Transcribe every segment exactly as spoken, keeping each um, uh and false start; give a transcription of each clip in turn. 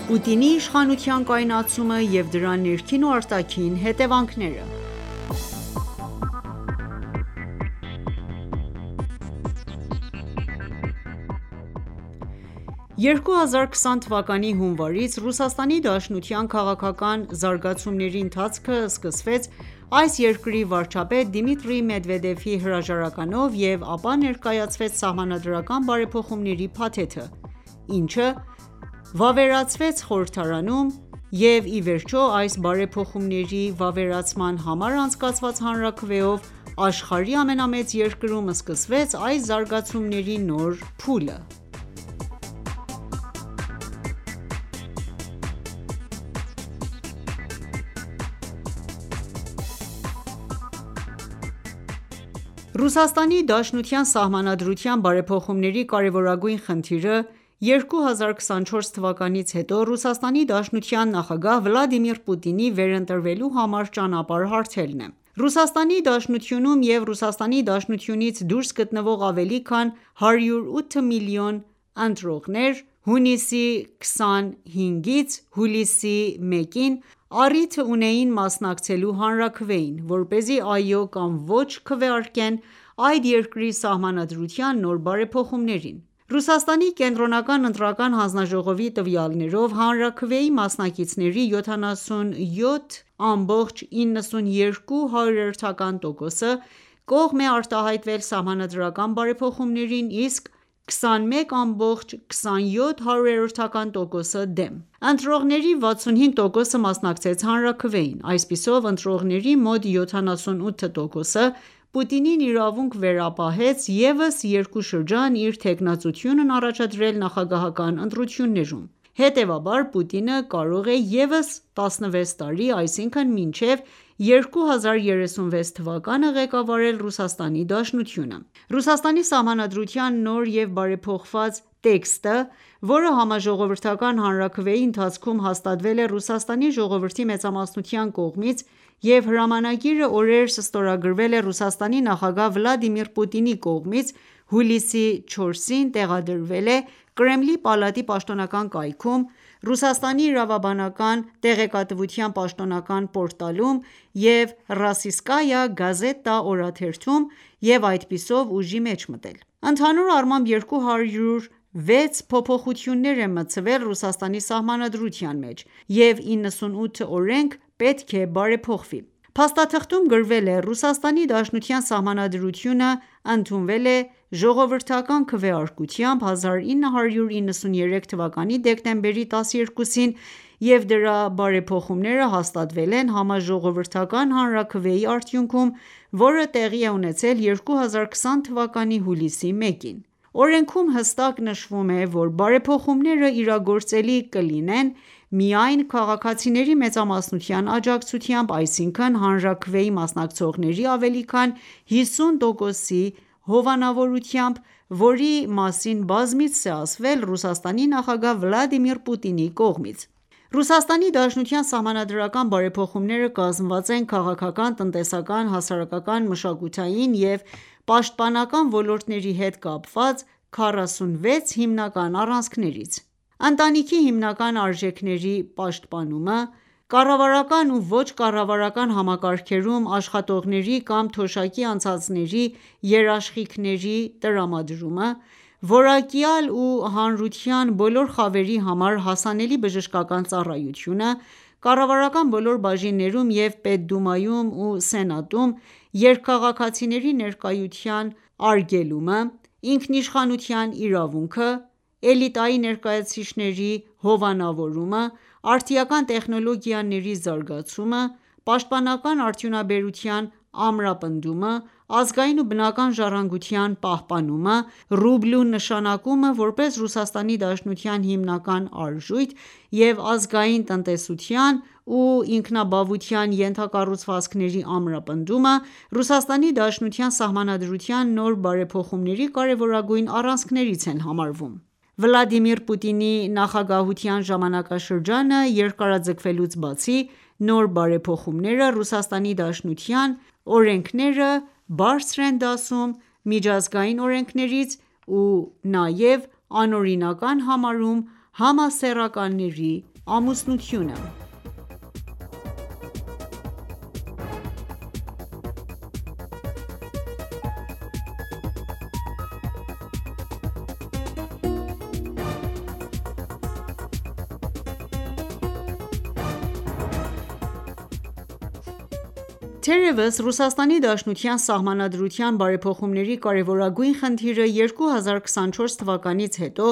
Պուտինի իշխանության կայունացումը և դրա ներքին ու արտաքին հետևանքները երկու հազար քսան թվականի հունվարից Ռուսաստանի Դաշնության քաղաքական զարգացումների ընթացքը սկսվեց այս երկրի վարչապետ Դիմիտրի Մեդվեդևի հրաժարականով և ապա ներկայացվեց Սահմանադրական բարեփոխումների փաթեթը, ինչը վավերացվեց խորհրդարանում և ի վերջո այս բարեփոխումների վավերացման համար անցկացված հանրաքվեով աշխարհի ամենամեծ երկրում սկսվեց այս զարգացումների նոր փուլը: Ռուսաստանի Դաշնության Սահմանադրության բարեփոխումների կարևորագույն խնդիրը երկու հազար քսանչորս թվականից հետո Ռուսաստանի Դաշնության նախագահ Վլադիմիր Պուտինի վերընտրվելու համար ճանապարհ հարթելն է: Ռուսաստանի Դաշնությունում և Ռուսաստանի Դաշնությունից դուրս գտնվող ավելի քան հարյուր ութ միլիոն ընտրողներ հունիսի քսանհինգից հուլիսի մեկին առիթ ունեին մասնակցելու հանրաքվեին, որպեսզի այո կամ ոչ քվեարկեն այդ երկրի Սահմանադրության նոր բարեփոխումներին: Ռուսաստանի կենտրոնական ընտրական հանձնաժողովի տվյալներով հանրաքվեի մասնակիցների յոթանասունյոթ ամբողջ իննսունյոթ տոկոսը կողմ է արտահայտվել Սահմանադրական բարեփոխումներին, իսկ քսանմեկ ամբողջ քսանյոթ տոկոսը դեմ: Ընտրողների վաթսունհինգ տոկոսը մասնակցեց հանրաքվեին: Այսպիսով ընտրողների մոտ յոթանասունութ տոկոսը Պուտինին իրավունք վերապահեց ևս երկու շրջան իր թեկնածությունն առաջադրել նախագահական ընտրություններում: Հետևաբար Պուտինը կարող է ևս տասնվեց տարի, այսինքն մինչև երկու հազար երեսունվեց թվականը ղեկավարել Ռուսաստանի Դաշնությունը: Ռուսաստանի Սահմանադրության նոր և բարեփոխված տեքստը, որը Համաժողովրդական հանրաքվեի ընթացքում հաստատվել է Ռուսաստանի ժողովրդի մեծամասնության կողմից և հրամանագիրը օրերս ստորագրվել է Ռուսաստանի նախագահ Վլադիմիր Պուտինի կողմից, հուլիսի չորսին տեղադրվել է Կրեմլի պալատի պաշտոնական կայքում, Ռուսաստանի իրավաբանական տեղեկատվության պաշտոնական պորտալում և «Ռոսիյսկայա գազետա» օրաթերթում և այդպիսով ուժի մեջ մտել: Ընդհանուր առմամբ երկու հարյուր վեց փոփոխություններ են մտցվել Ռուսաստանի Սահմանադրության մեջ և իննսունութ օրենք պետք է բարեփոխվի: Փաստաթղթում գրվել է. «Ռուսաստանի Դաշնության Սահմանադրությունը ընդունվել է ժողովրդական քվեարկությամբ հազար ինը հարյուր իննսունյոթ թվականի դեկտեմբերի տասներկուսին և դրա բարեփոխումները հաստատվել են Համաժողովրդական հանրաքվեի արդյունքում, որը տեղի է ունեցել երկու հազար քսան թվականի հուլիսի մեկին: Օրենքում հստակ նշվում է, որ բարեփոխումները իրագործելի կլինեն միայն քաղաքացիների մեծամասնության աջակցությամբ, այսինքն հանրաքվեի մասնակցողների ավելի քան հիսուն տոկոսի հովանավորությամբ, որի մասին բազմիցս է ասվել Ռուսաստանի նախագահ Վլադիմիր Պուտինի կողմից»: Ռուսաստանի Դաշնության սահմանադրական բարեփոխումները կազմված են քաղաքական, տնտեսական, հասարակական, մշակութային և պաշտպանական ոլորտների հետ կապված քառասունվեց հիմնական առանցքներից: Ընտանիքի հիմնական արժեքների պաշտպանումը, կառավարական ու ոչ կառավարական համակարգերում աշխատողների կամ թոշակի անցածների երաշխիքների տրամադրումը, որակյալ ու հանրության բոլոր խավերի համար հասանելի բժշկական ծառայությունը, կառավարական բոլոր բաժիններում և Պետդումայում ու Սենատում երկքաղաքացիների ներկայության արգելումը, ինքնիշխանության իրավունքը, էլիտայի ներկայացուցիչների հովանավորումը, արդիական տեխնոլոգիաների զարգացումը, պաշտպանական արդյունաբերության ամրապնդումը, ազգային ու բնական ժառանգության պահպանումը, ռուբլու նշանակումը որպես Ռուսաստանի Դաշնության հիմնական արժույթ և ազգային տնտեսության ու ինքնաբավության ենթակառուցվածքների ամրապնդումը Ռուսաստանի Դաշնության Սահմանադրության նոր բարեփոխումների կարևորագույն առանցքներից են համարվում: Վլադիմիր Պուտինի նախագահության ժամանակաշրջանը երկարաձգվելուց բացի, նոր բարեփոխումները Ռուսաստանի Դաշնության օրենքները բարձր են դասում միջազգային օրենքներից ու նաև անօրինական համարում համասեռականների Ամուսնությունը Թերևս Ռուսաստանի Դաշնության Սահմանադրության բարեփոխումների կարևորագույն խնդիրը երկու հազար քսանչորս թվականից հետո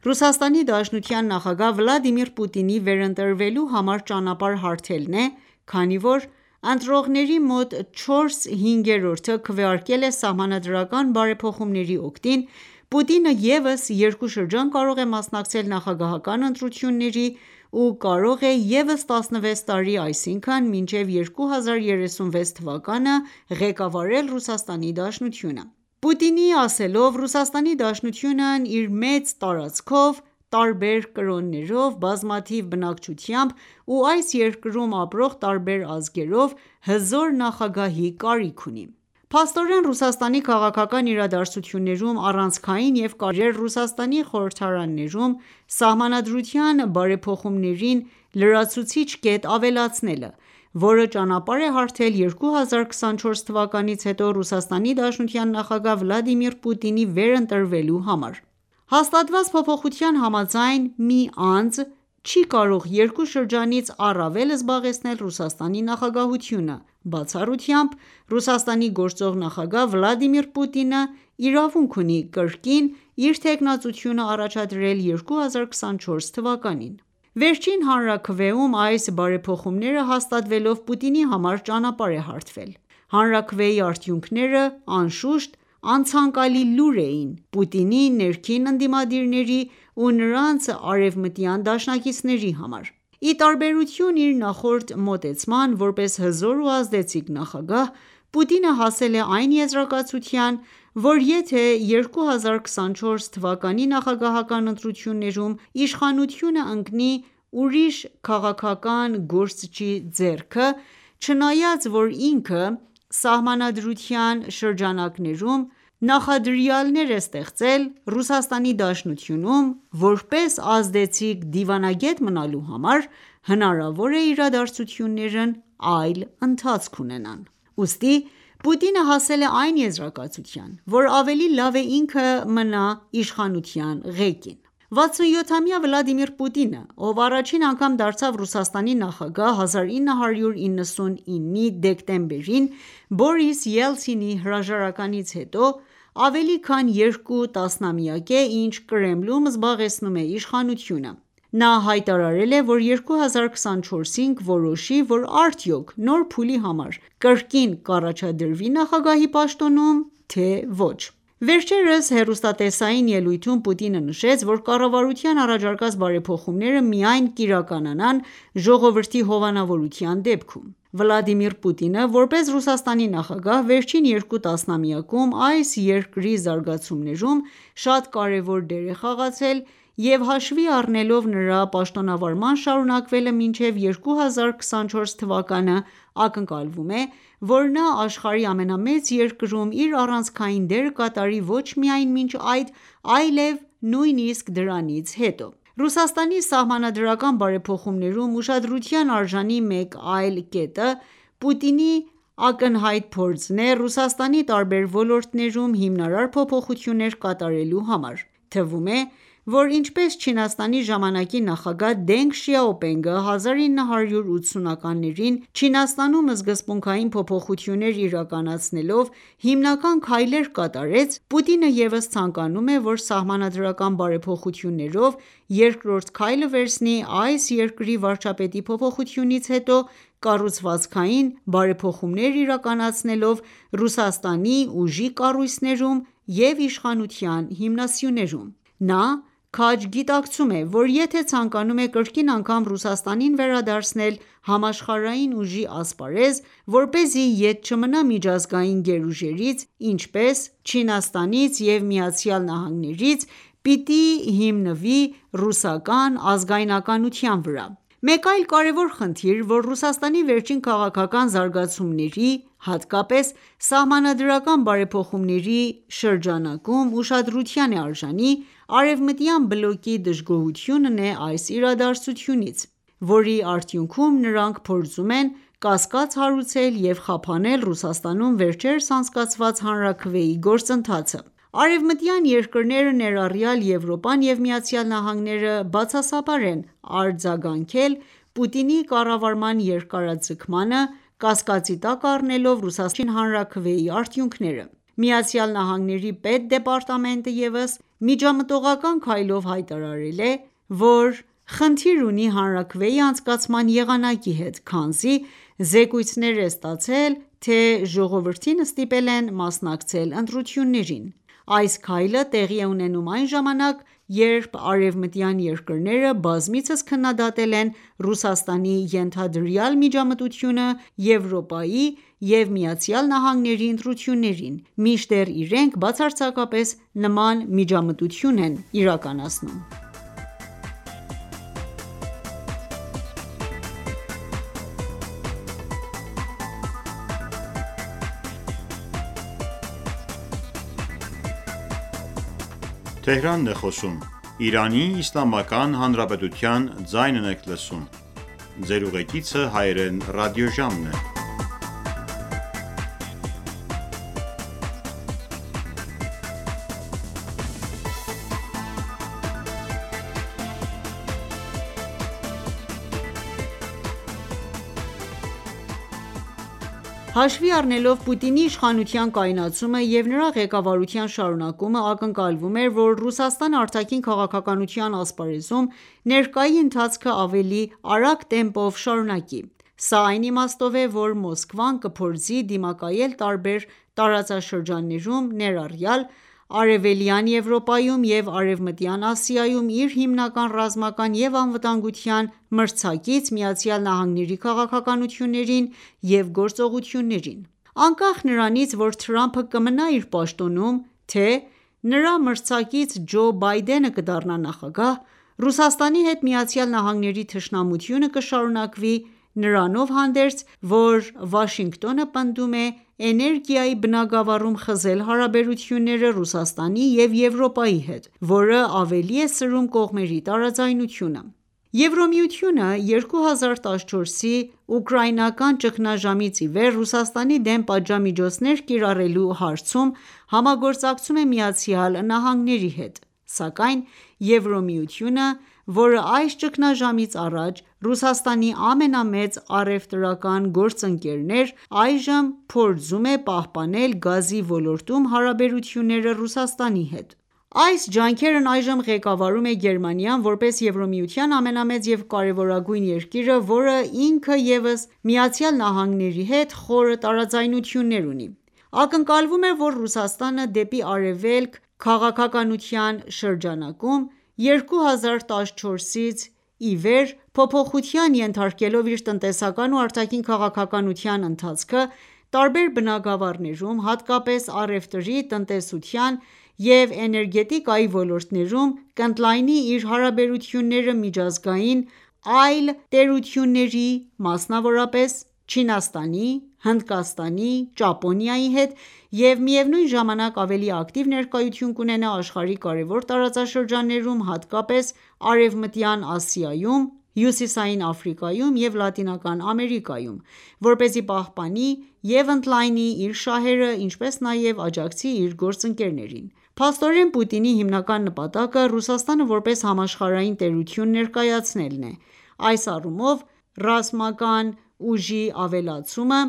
Ռուսաստանի Դաշնության նախագահ Վլադիմիր Պուտինի վերընտրվելու համար ճանապարհ հարթելն է, քանի որ ընտրողների մոտ չորս հինգերորդը քվեարկել է սահմանադրական բարեփոխումների օգտին, Պուտինը ևս երկու շրջան կարող է մասնակցել նախագահական ընտրությունների ու կարող է ևս տասնվեց տարի, այսինքն մինչև երկու հազար երեսունվեց թվականը ղեկավարել Ռուսաստանի Դաշնությունը: Պուտինի ասելով, Ռուսաստանի Դաշնությունն իր մեծ տարածքով, տարբեր կրոններով, բազմաթիվ բնակչությամբ ու այս երկրում ապրող տարբեր ազգերով հզոր նախագահի կարիք ունի: Փաստորեն, Ռուսաստանի քաղաքական իրադարձություններում առանցքային և կարևոր է Ռուսաստանի խորհրդարաններում Սահմանադրության բարեփոխումներին լրացուցիչ կետ ավելացնելը, որը ճանապարհ է հարթել երկու հազար քսանչորս թվականից հետո Ռուսաստանի Դաշնության նախագահ Վլադիմիր Պուտինի վերընտրվելու համար: Հաստատված փոփոխության համաձայն, մի անձ չի կարող երկու շրջանից առավել զբաղեցնել Ռուսաստանի նախագահությունը, բացառությամբ Ռուսաստանի գործող նախագահ Վլադիմիր Պուտինը իրավունք ունի կրկին իր թեկնածությունը առաջադրել երկու հազար քսանչորս թվականին: Վերջին հանրաքվեում այս բարեփոխումները հաստատվելով Պուտինի համար ճանապարհ է հարթվել: Հանրաքվեի արդյունքները, անշուշտ, անցանկալի լուր էին Պուտինի ներքին ընդդիմադիրների ու նրանց արևմտյան դաշնակիցների համար: Ի տարբերություն իր նախորդ մոտեցման, որպես հզոր ու ազդեցիկ նախագահ, Պուտինը հասել է այն եզրակացության, որ եթե երկու հազար քսանչորս թվականի նախագահական ընտրություններում իշխանությունը ընկնի ուրիշ քաղաքական գործչի ձեռքը, չնայած որ ինքը Սահմանադրության շրջանակներում նախադրյալներ է ստեղծել Ռուսաստանի Դաշնությունում որպես ազդեցիկ դիվանագետ մնալու համար, հնարավոր է իրադարձություններն այլ ընթացք ունենան: Ուստի Պուտինը հասել է այն եզրակացության, որ ավելի լավ է ինքը մնա իշխանության ղեկին: վաթսունյոթամյա Վլադիմիր Պուտինը, ով առաջին անգամ դարձավ Ռուսաստանի նախագահ հազար ինը հարյուր իննսունինի դեկտեմբերին Բորիս Ելցինի հրաժարականից հետո, ավելի քան երկու տասնամյակ է ինչ Կրեմլում զբաղեցնում է իշխանությունը: Նա հայտարարել է, որ երկու հազար քսանչորսին կորոշի, որ արդյոք նոր փուլի համար կրկին կառաջադրվի նախագահի պաշտոնում, թե ոչ: Վերջերս հեռուստատեսային ելույթում Պուտինը նշեց, որ կառավարության առաջարկած բարեփոխումները միայն կիրականանան ժողովրդի հովանավորության դեպքում: Վլադիմիր Պուտինը, որպես Ռուսաստանի նախագահ, վերջին երկու տասնամյակում այս երկրի զարգացումներում շատ կարևոր դեր է խաղացել և հաշվի առնելով նրա պաշտոնավարման շարունակվելը մինչև երկու հազար քսանչորս թվականը, ակնկալվում է, որ նա աշխարհի ամենամեծ երկրում իր առանցքային դերը կատարի ոչ միայն մինչ այդ, այլև նույնիսկ դրանից հետո: Ռուսաստանի սահմանադրական բարեփոխումներում ուշադրության արժանի մեկ այլ կետը Պուտինի ակնհայտ փորձն է Ռուսաստանի տարբեր ոլորտներում հիմնարար փոփոխություններ կատարելու համար: Թվում է, որ ինչպես Չինաստանի ժամանակի նախագահ Դենգ Շիաոպինգը հազար ինը հարյուր ութսունականներին Չինաստանում սկզբունքային փոփոխություններ իրականացնելով հիմնական քայլեր կատարեց, Պուտինը ևս ցանկանում է, որ սահմանադրական բարեփոխություններով երկրորդ քայլը վերցնի այս երկրի վարչապետի փոփոխությունից հետո կառուցվածքային բարեփոխումներ իրականացնելով Ռուսաստանի ուժի կառույցներում և իշխանության հիմնասյուներում: Նա քաջ գիտակցում է, որ եթե ցանկանում է կրկին անգամ Ռուսաստանին վերադարձնել համաշխարհային ուժի ասպարեզ, որպեսզի ետ չմնա միջազգային գերուժերից, ինչպես Չինաստանից և ԱՄՆ-ից, պիտի հիմնվի ռուսական ազգայնականության վրա: Մեկ այլ կարևոր խնդիր, որ Ռուսաստանի վերջին քաղաքական զարգացումների, հատկապես սահմանադրական բարեփոխումների շրջանակում ուշադրության է արժանի, արևմտյան բլոկի դժգոհությունն է այս իրադարձությունից: որի արդյունքում նրանք փորձում են կասկած հարուցել և խափանել Ռուսաստանում վերջերս անցկացված հանրաքվեի գործընթացը: Արևմտյան երկրները, ներառյալ Եվրոպան և ԱՄՆ-ը, բացասաբար են արձագանքել Պուտինի կառավարման երկարաձգմանը, կասկածի տակ առնելով Ռուսաստանի հանրաքվեի արդյունքները: ԱՄՆ-ի պետդեպարտամենտը ևս միջամտողական քայլով հայտարարել է, որ խնդիր ունի հանրաքվեի անցկացման եղանակի հետ, քանզի զեկույցներ է ստացել, թե ժողովրդին ստիպել են մասնակցել ընտրություններին: Այս քայլը տեղի է ունենում այն ժամանակ, երբ արևմտյան երկրները բազմիցս քննադատել են Ռուսաստանի ենթադրյալ միջամտությունը Եվրոպայի և ԱՄՆ-ի ընտրություններին, մինչդեռ իրենք բացարձակապես նման միջամտություն են իրականացնում: Հաշվի առնելով Պուտինի իշխանության կայունացումը և նրա ղեկավարության շարունակումը, ակնկալվում էր, որ Ռուսաստանը արտաքին քաղաքականության ասպարեզում ներկայի ընթացքը ավելի արագ տեմպով շարունակի: Սա այն իմաստով է, որ Մոսկվան կփորձի դիմակայել տարբեր տարածաշրջաններում, ներառյալ Արևելյան Եվրոպայում և Արևմտյան Ասիայում իր հիմնական ռազմական և անվտանգության մրցակից ԱՄՆ-ի քաղաքականություններին և գործողություններին: Անկախ նրանից, որ Թրամփը կմնա իր պաշտոնում, թե նրա մրցակից Ջո Բայդենը կդառնա նախագահ, Ռուսաստանի հետ ԱՄՆ-ի թշնամությունը կշարունակվի, նրանով հանդերձ, որ Վաշինգտոնը պնդում է էներգիայի բնագավառում խզել հարաբերությունները Ռուսաստանի և Եվրոպայի հետ, որը ավելի է սրում կողմերի տարաձայնությունը: Եվրամիությունը երկու հազար տասնչորսի ուկրաինական ճգնաժամից ի վեր Ռուսաստանի դեմ պատժամիջոցներ կիրառելու հարցում համագործակցում է ԱՄՆ-ի հետ, սակայն Եվրամիությունը, որը այս ճգնաժամից առաջ Ռուսաստանի ամենամեծ առևտրական գործընկերն էր, այժմ փորձում է պահպանել գազի ոլորտում հարաբերությունները Ռուսաստանի հետ: Այս ջանքերն այժմ ղեկավարում է Գերմանիան, որպես Եվրամիության ամենամեծ և կարևորագույն երկիրը, որը ինքը ևս ԱՄՆ-ի հետ խորը տարաձայնություններ ունի: Ակնկալվում էր, որ Ռուսաստանը դեպի արևելք քաղաքականության շրջանակում, երկու հազար տասնչորսից ի վեր փոփոխության ենթարկելով իր տնտեսական ու արտաքին քաղաքականության ընթացքը, տարբեր բնագավառներում, հատկապես առևտրի, տնտեսության և էներգետիկայի ոլորտներում կընդլայնի իր հարաբերությունները միջազգային այլ տերությունների, մասնավորապես Չինաստանի, Հնդկաստանի, Ճապոնիայի հետ և միևնույն ժամանակ ավելի ակտիվ ներկայություն կունենա աշխարհի կարևոր տարածաշրջաններում, հատկապես Արևմտյան Ասիայում, Հյուսիսային Աֆրիկայում և Լատինական Ամերիկայում, որպեսզի պահպանի և ընդլայնի իր շահերը, ինչպես նաև աջակցի իր գործընկերներին: Փաստորեն, Պուտինի հիմնական նպատակը Ռուսաստանը որպես համաշխարհային տերություն ներկայացնելն է: Այս առումով, ռազմական ուժի ավելացումը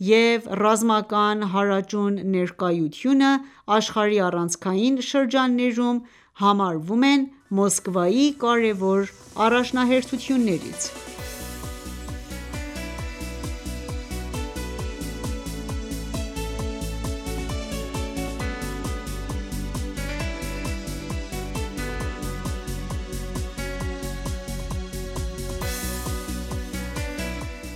և ռազմական հարաճուն ներկայությունը աշխարհի առանցքային շրջաններում համարվում են Մոսկվայի կարևոր առաջնահերթություններից: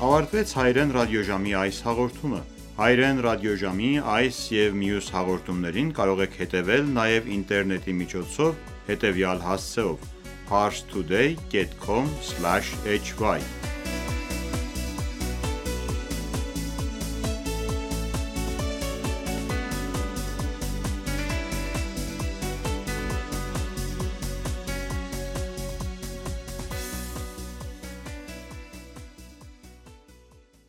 Ավարտվեց հայրեն ռադիոժամի այս հաղորդումը: Հայրեն ռադիոժամի այս և մյուս հաղորդումներին կարող եք հետևել նաև ինտերնետի միջոցով հետևյալ հասցեով՝ parstoday.com/hy